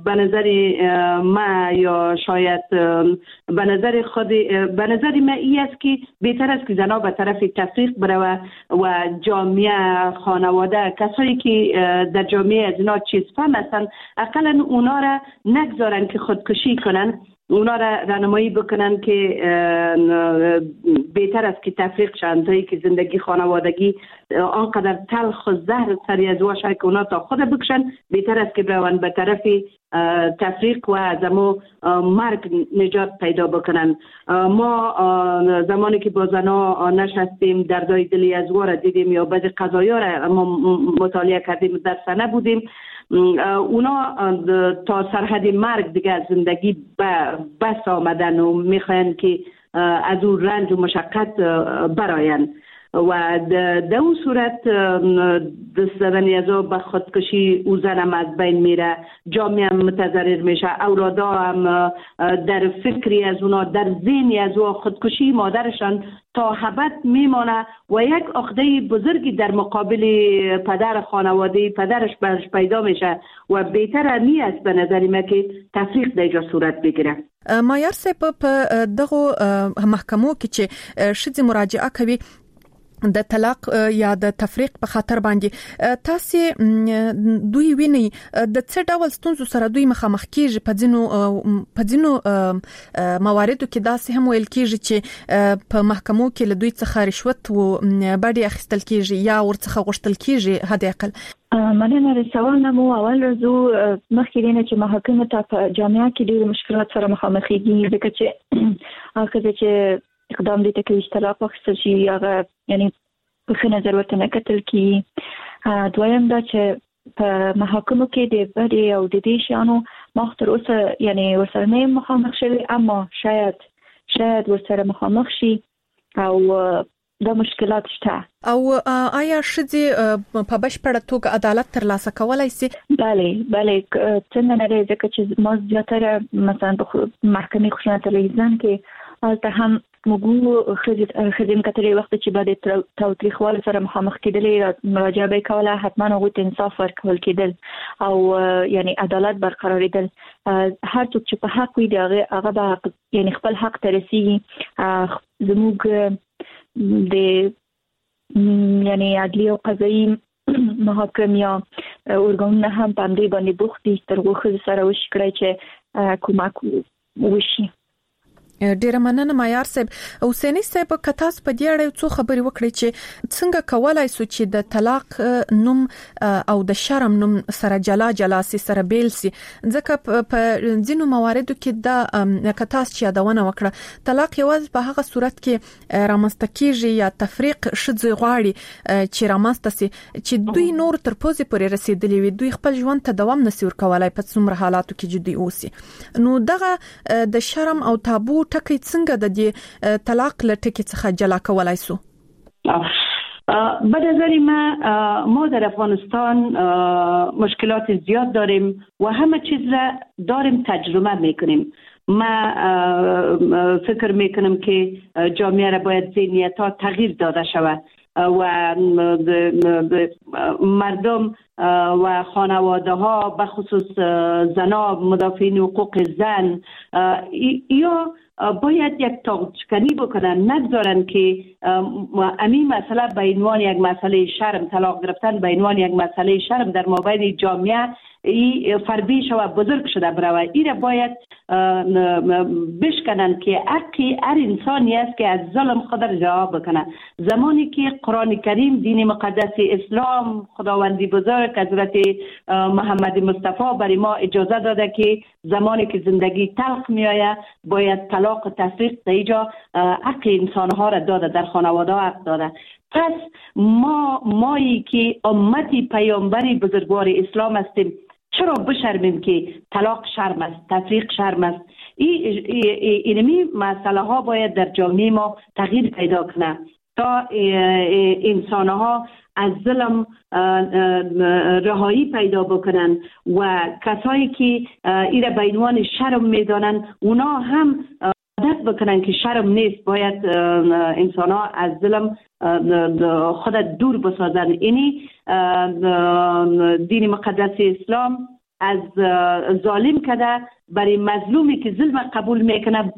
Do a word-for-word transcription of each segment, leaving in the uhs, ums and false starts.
به نظر ما یا شاید به نظر خود به نظر ما ای است که بهتر است که زنها به طرف تفریق بروه و جامعه، خانواده، کسایی که در جامعه از اینا چیز فهم هستند اقلا اونا را نگذارن که خودکشی کنن، اونا را راهنمایی بکنن که بهتر است که تفریق شوند تا که زندگی خانوادگی آنقدر تلخ و زهر سری از واشه که اونا تا خود بکشن، بهتر است که بروند به طرف تفریق و از امو مرگ نجات پیدا بکنن. ما زمانی که با زنها نشستیم دردای دلی از را دیدیم یا بعضی قضایا را ما مطالعه کردیم، در سنه بودیم، اونا تا سرحد مرگ دیگه از زندگی بس آمدن و میخواین که از اون رنج و مشقت براین و در اون صورت دست زدن از به خودکشی او زنم از بین میره، جامعه هم متضرر میشه، اولادا هم در فکری از اونا، در ذهنی از او خودکشی مادرشان تا ابد میمانه و یک عقده بزرگی در مقابل پدر خانواده پدرش برش پیدا میشه و بهتر می است به نظر من که تفریق در اینجا صورت بگیره. مایار صاحب، په دغه محکمو کې چې ښځې مراجعه کوي د طلاق یا د تفریق په خاطر باندې، تاسو دوی وینئ د څه ډول ستونزو سره دوی مخامخ کیږي؟ په ځینو په ځینو مواردو کې داسې هم ویل کیږي چې په محکمو کې له دوی څخه رشوت و بډې اخیستل کیږي یا ورڅخه غوښتل کیږي حد اقل. مننه د سوال نه مو. اول راځو مخکې دینه چې محاکمو ته په جامعه کې ډېر مشکلات سره مخامخېږي، ځکه چې هغه چې اقدام دې ته کوي چې طلاق واخیستل شي هغه یعنی په ښه نظر ورته نه کتل کېږي. دویم دا چې په محاکمو کې د بدې او د دې شیانو ما تر اوسه یعنی ورسره نه یم مخامخ شوی، اما شاید شاید ورسره مخامخ شي او دا مشکلات شته. او آیا ښځې په بشپړه توګه عدالت ترلاسه کولای شي؟ بله بله، څنګه نه دی، ځکه چې ما زیاتره مثلا په محکمې خشونت علیه زن کې هلته هم موږ ښځې هم کتلې وخت چې به د تاوتریخوالي سره مخامخ کېدلې مراجعه به یې کوله، حتما هغوی ته انصاف ورکول کېدل او یعنی عدالت برقرارېدل. هر څوک چې په حق وي د هغې هغه به حق یعنی خپل حق ته رسېږي. زموږ د یعنی عدلي او قضایي محاکم یا ارګانونه هم په همدې باندې بوخت دي تر هغو ښځو سره وشي کړی چې کومک وشي. ډیره مننه مایار صاحب. حسیني صاحب، که تاسو په دې اړه یو څو خبرې وکړئ چې څنګه کولای سو چې د طلاق نوم او د شرم نوم سره جلا جلا سي، سره بیل سي، ځکه په ځینو مواردو کې دا که تاسو چې یادونه وکړه طلاق یوازې په هغه صورت کې رامنځته کیږي یا تفریق ښځې غواړي چې رامنځته سي چې دوی نور تر پوزې پورې رسېدلي وي، دوی خپل ژوند ته دوام نسي ورکولای په څومره حالاتو کې چې دوی اوسي. نو دغه د شرم او تابو ټکی څنګه د دې طلاق له ټکی څخه جلا کولای سو؟ به نظر ما ما در افغانستان مشکلات زیاد داریم و همه چیز را داریم تجربه میکنیم. ما فکر میکنم که جامعه را باید ذهنیت ها تغییر داده شود و مردم و خانواده ها به خصوص زنها، مدافعین حقوق زن یا باید یک تاغچکنی بکنن، نگذارن که امی مسئله به عنوان یک مسئله شرم، طلاق گرفتن به عنوان یک مسئله شرم در مابین جامعه ای فربی شوه بزرگ شده بروه. ای را باید بشکنن که حقی هر انسانی است که از ظلم خود را رها بکنه. زمانی که قرآن کریم، دین مقدس اسلام، خداوندی بزرگ حضرت محمد مصطفی برای ما اجازه داده که زمانی که زندگی تلخ میآید باید طلاق و تفریق در اینجا حق انسانها را داده، در خانواده حق داده. پس ما مایی که امتی پیامبری بزرگوار اسلام هستیم چرا بشرمیم که طلاق شرم است، تفریق شرم است؟ اینمی مسئله ها باید در جامعه ما تغییر پیدا کنه تا انسان ها از ظلم رهایی پیدا بکنن و کسایی که ایره به عنوان شرم میدانن اونا هم عادت بکنن که شرم نیست، باید انسان ها از ظلم خود دور بسازن. اینی دین مقدس اسلام از ظالم کده برای مظلومی که ظلم قبول میکنه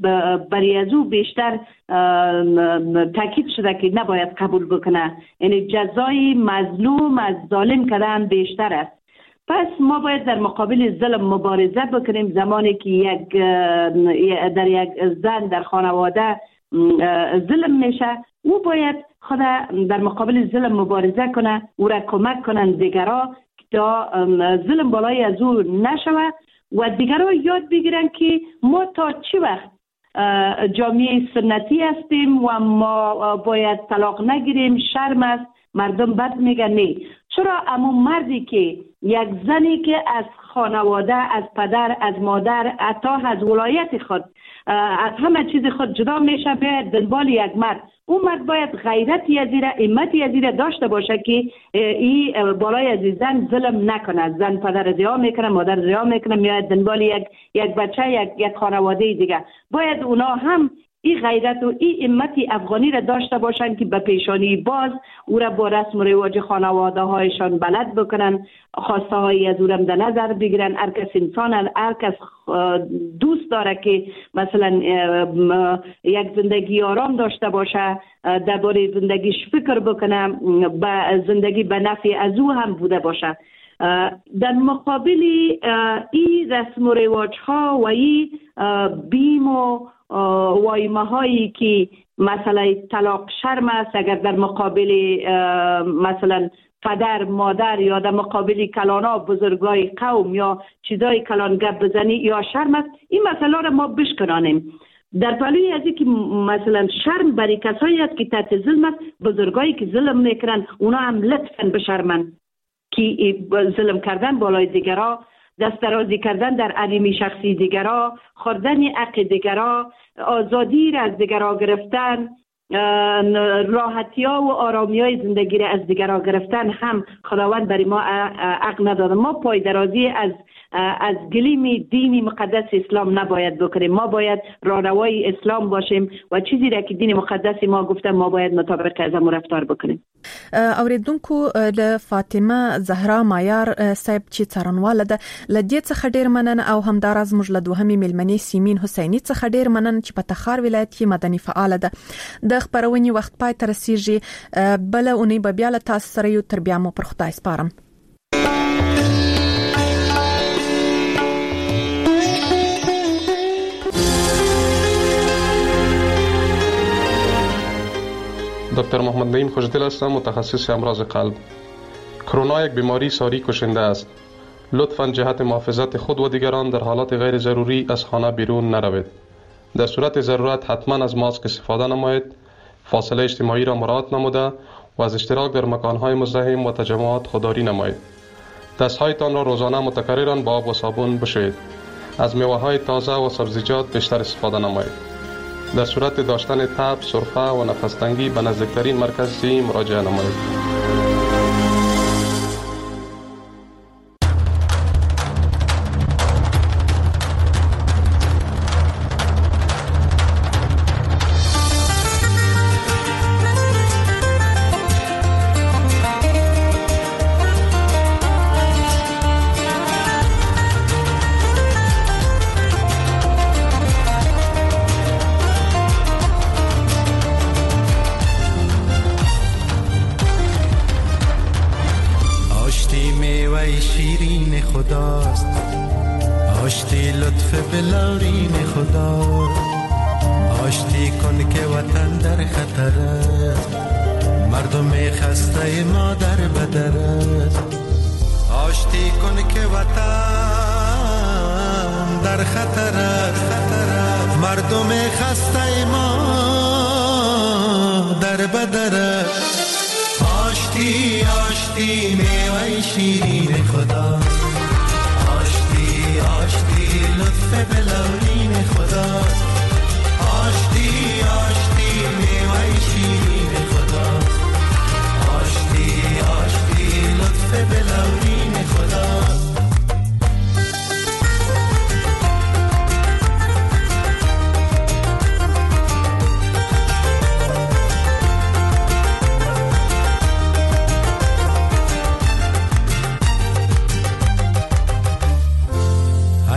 برای از او بیشتر تاکید شده که نباید قبول بکنه، یعنی جزای مظلوم از ظالم کردن بیشتر است. پس ما باید در مقابل ظلم مبارزه بکنیم. زمانی که یک در یک زن در خانواده ظلم میشه، او باید خود در مقابل ظلم مبارزه کنه، او را کمک کنن دیگرا تا ظلم بالای از او نشوه و دیگرا یاد بگیرن که ما تا چه وقت جامعه سنتی هستیم و ما باید طلاق نگیریم، شرم است، مردم بد میگن. نه، چرا اما مردی که یک زنی که از خانواده، از پدر، از مادر، حتی از ولایت خود، از همه چیز خود جدا میشه، باید دنبال یک مرد، اون مرد باید غیرتی از ایره، همتی از ایره داشته باشه که ای بالای از زن ظلم نکنه. زن پدر زیا میکنه، مادر زیا میکنه، میاد دنبال یک یک بچه، یک یک خانواده دیگه. باید اونا هم این غیرت و این همت افغانی را داشته باشند که به پیشانی باز او را با رسم و رواج خانواده هایشان بلد بکنن، خواسته های از او را در نظر بگیرن. هر کس انسان، هر کس دوست داره که مثلا یک زندگی آرام داشته باشه، درباره زندگیش فکر بکنه، به زندگی به نفع از او هم بوده باشه. در مقابل این رسم و رواج ها و این بیم و وایمه هایی که مسئله طلاق شرم است، اگر در مقابل مثلا پدر، مادر یا در مقابل کلانا بزرگای قوم یا چیزای کلان گپ بزنی یا شرم است، این مسئله را ما بشکنانیم. در پهلوی از اینکه مثلا شرم برای کسایی است که تحت ظلم است، بزرگایی که ظلم میکنن اونا هم لطفاً بشرمن که ظلم کردن بالای دیگرا، دست درازی کردن در حریم شخصی دیگرا، خوردن حق دیگرا، آزادی را از دیگرا گرفتن، راحتی ها و آرامی های زندگی را از دیگرا گرفتن هم خداوند برای ما حق نداده. ما پای درازی از از گلیم دین مقدس اسلام نباید بکنیم. ما باید راهروای اسلام باشیم و چیزی را که دین مقدس ما گفته ما باید مطابق از آن رفتار بکنیم. اوریدونکو له فاطمه زهرا مایار صاحب چې څارنواله ده له دې څخه ډیر مننه، او همداراز موږ له دوهمې میلمنې سیمین حسیني څخه ډیر مننه چې په تخار ولایت کې مدني فعاله ده. د خپرونې وخت پای ته رسیږي، بله اونۍ به بیا له تاسو سره یو، تر بیا مو پر خدای سپارم. دکتر محمد نعیم خوشدل هستم، متخصص امراض قلب. کرونا یک بیماری ساری کشنده است. لطفاً جهت محافظت خود و دیگران در حالات غیر ضروری از خانه بیرون نروید. در صورت ضرورت حتما از ماسک استفاده نمایید، فاصله اجتماعی را مراعات نموده و از اشتراک در مکانهای مزدحم و تجمعات خودداری نمایید. دستهایتان را روزانه متکرراً با آب و صابون بشویید. از میوه‌های تازه و سبزیجات بیشتر استفاده نمایید. در صورت داشتن تب، سرفه و نفس تنگی به نزدیکترین مرکز صحی مراجعه نمایید.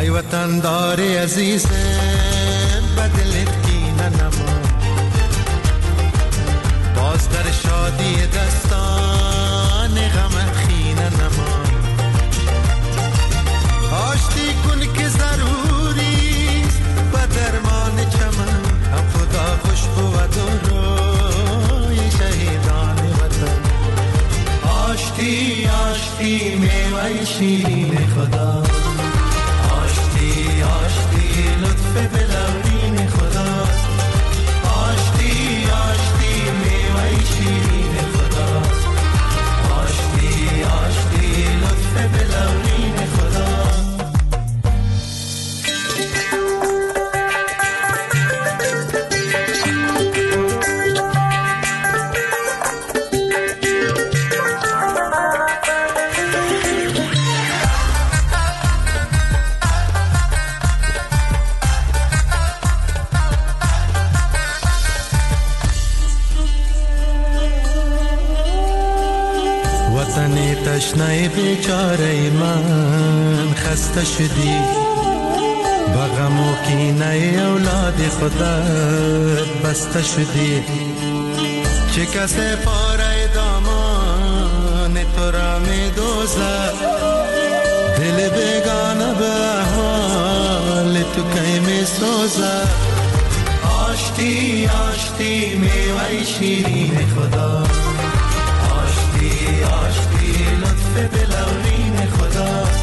ای وطن دار عزیزم بدلت کینه نما، باز در شادی دستان غم خینه نما. آشتی کن که ضروریست به درمان چمن، هم خدا خوش بود و روی شهیدان وطن. آشتی آشتی میوه شیرین خدا، آشتی آشتی لطف بلورین خداست. آشتی آشتی میوه شیرین خداست، آشتی آشتی لطف بلورین خداست. تشنه بیچاره من خسته شدی، با غم و کینه اولاد خودت بسته شدی. چه کسی پاره دامان تو را می دوزد، دل بیگانه به احوال تو کی می سوزد. آشتی آشتی میوه شیرین خدا، آشتی آشتی لطف بلورین خداست.